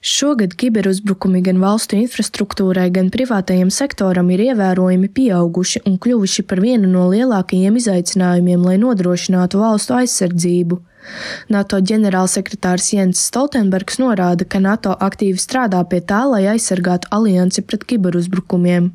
Šogad kiberuzbrukumi gan valstu infrastruktūrai, gan privātajam sektoram ir ievērojami pieauguši un kļuvuši par vienu no lielākajiem izaicinājumiem, lai nodrošinātu valstu aizsardzību. NATO ģenerālsekretārs Jens Stoltenbergs norāda, ka NATO aktīvi strādā pie tā, lai aizsargātu aliansi pret kiberuzbrukumiem.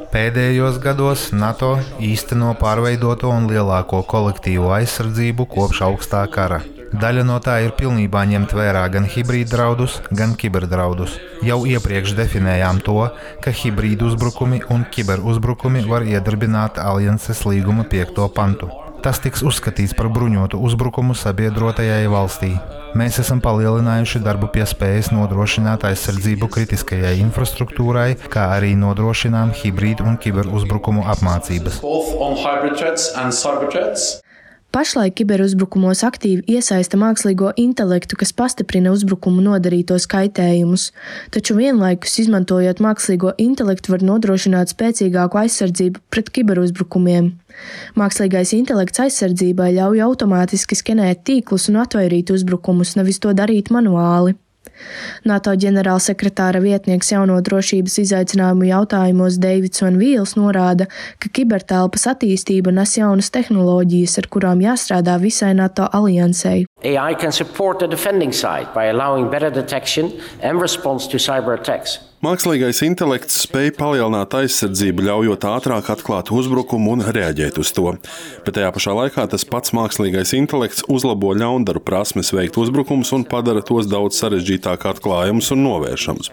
Pēdējos gados NATO īsteno pārveidoto un lielāko kolektīvo aizsardzību kopš augstā kara. Daļa no tā ir pilnībā ņemt vērā gan hibrīd draudus, gan kiberdraudus. Jau iepriekš definējām to, ka hibrīd uzbrukumi un kiberuzbrukumi var iedarbināt alianses līguma 5. pantu. Tas tiks uzskatīts par bruņotu uzbrukumu sabiedrotajai valstī. Mēs esam palielinājuši darbu pie spējas nodrošināt aizsardzību kritiskajai infrastruktūrai, kā arī nodrošinām hibrīd un kiberuzbrukumu apmācības. Pašlaik kiberuzbrukumos aktīvi iesaista mākslīgo intelektu, kas pastiprina uzbrukumu nodarītos kaitējumus, taču vienlaikus izmantojot mākslīgo intelektu var nodrošināt spēcīgāku aizsardzību pret kiberuzbrukumiem. Mākslīgais intelekts aizsardzībai ļauj automātiski skenēt tīklus un atvairīt uzbrukumus, nevis to darīt manuāli. NATO ģenerālsekretāra vietnieks jauno drošības izaicinājumu jautājumos Deivids Van Vīls norāda, ka kibertelpas attīstība nes jaunas tehnoloģijas, ar kurām jāstrādā visai NATO aliansei. AI can support the defending side by allowing better detection and response to cyber attacks. Mākslīgais intelekts spēj palielināt aizsardzību, ļaujot ātrāk atklāt uzbrukumu un reaģēt uz to. Bet tajā pašā laikā tas pats mākslīgais intelekts uzlabo ļaundaru prasmes veikt uzbrukumus un padara tos daudz sarežģītāk atklājumus un novēršamus.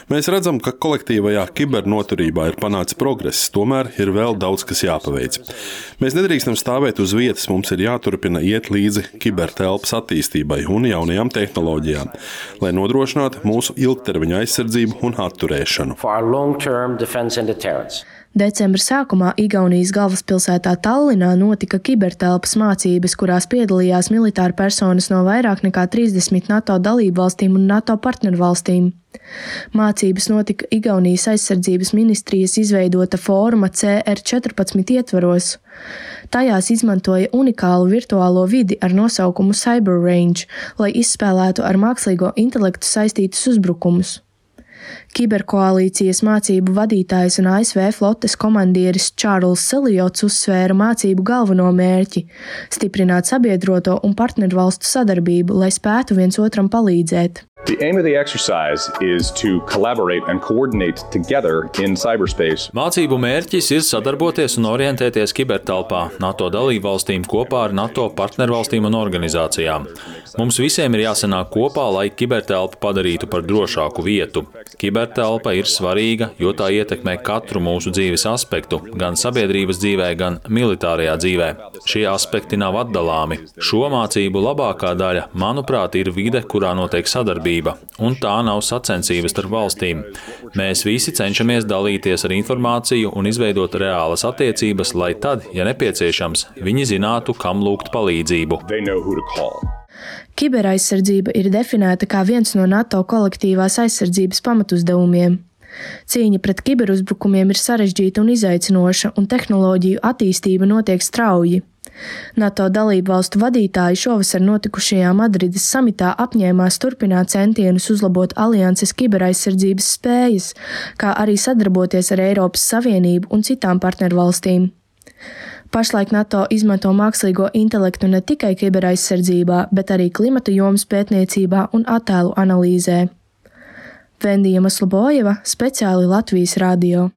Mēs redzam, ka kolektīvajā kibernoturībā ir panācis progress, tomēr ir vēl daudz, kas jāpaveic. Mēs nedrīkstam stāvēt uz vietas, mums ir jāturpina iet līdzi kibertelpas attīstībai un jaunajām tehnoloģijām, lai nodrošinātu mūsu ilgtermiņa aizsardzību un atturēšanu. Decembra sākumā Igaunijas galvaspilsētā Tallinā notika kibertelpas mācības, kurās piedalījās militāri personas no vairāk nekā 30 NATO dalībvalstīm un NATO partnervalstīm. Mācības notika Igaunijas aizsardzības ministrijas izveidota fóruma CR14 ietvaros. Tajās izmantoja unikālu virtuālo vidi ar nosaukumu Cyber Range, lai izspēlētu ar mākslīgo intelektu saistītus uzbrukumus. Kiberkoalīcijas mācību vadītājs un ASV flotes komandieris Čārls Seljots uzsvēra mācību galveno mērķi – stiprināt sabiedroto un partnervalstu sadarbību, lai spētu viens otram palīdzēt. The aim of the exercise is to collaborate and coordinate together in cyberspace. Mācību mērķis ir sadarboties un orientēties kibertelpā NATO dalībvalstīm kopā ar NATO partnervalstīm un organizācijām. Mums visiem ir jāsanāk kopā, lai kibertelpu padarītu par drošāku vietu. Kibertelpa ir svarīga, jo tā ietekmē katru mūsu dzīves aspektu, gan sabiedrības dzīvē, gan militārajā dzīvē. Šie aspekti nav atdalāmi. Šo mācību labākā daļa, manuprāt, ir vide, kurā notiek sadarbība, un tā nav sacensības starp valstīm. Mēs visi cenšamies dalīties ar informāciju un izveidot reālas attiecības, lai tad, ja nepieciešams, viņi zinātu, kam lūgt palīdzību. Kiberaizsardzība ir definēta kā viens no NATO kolektīvās aizsardzības pamatuzdevumiem. Cīņa pret kiberuzbrukumiem ir sarežģīta un izaicinoša, un tehnoloģiju attīstība notiek strauji. NATO dalībvalstu vadītāji šovasar notikušajā Madrides samitā apņēmās turpināt centienus uzlabot alianses kiberaizsardzības spējas, kā arī sadarboties ar Eiropas Savienību un citām partnervalstīm. Pašlaik NATO izmanto mākslīgo intelektu ne tikai kiberaizsardzībā, bet arī klimata jomas pētniecībā un attēlu analīzē. Vendija Maslobojeva, speciāli Latvijas radio.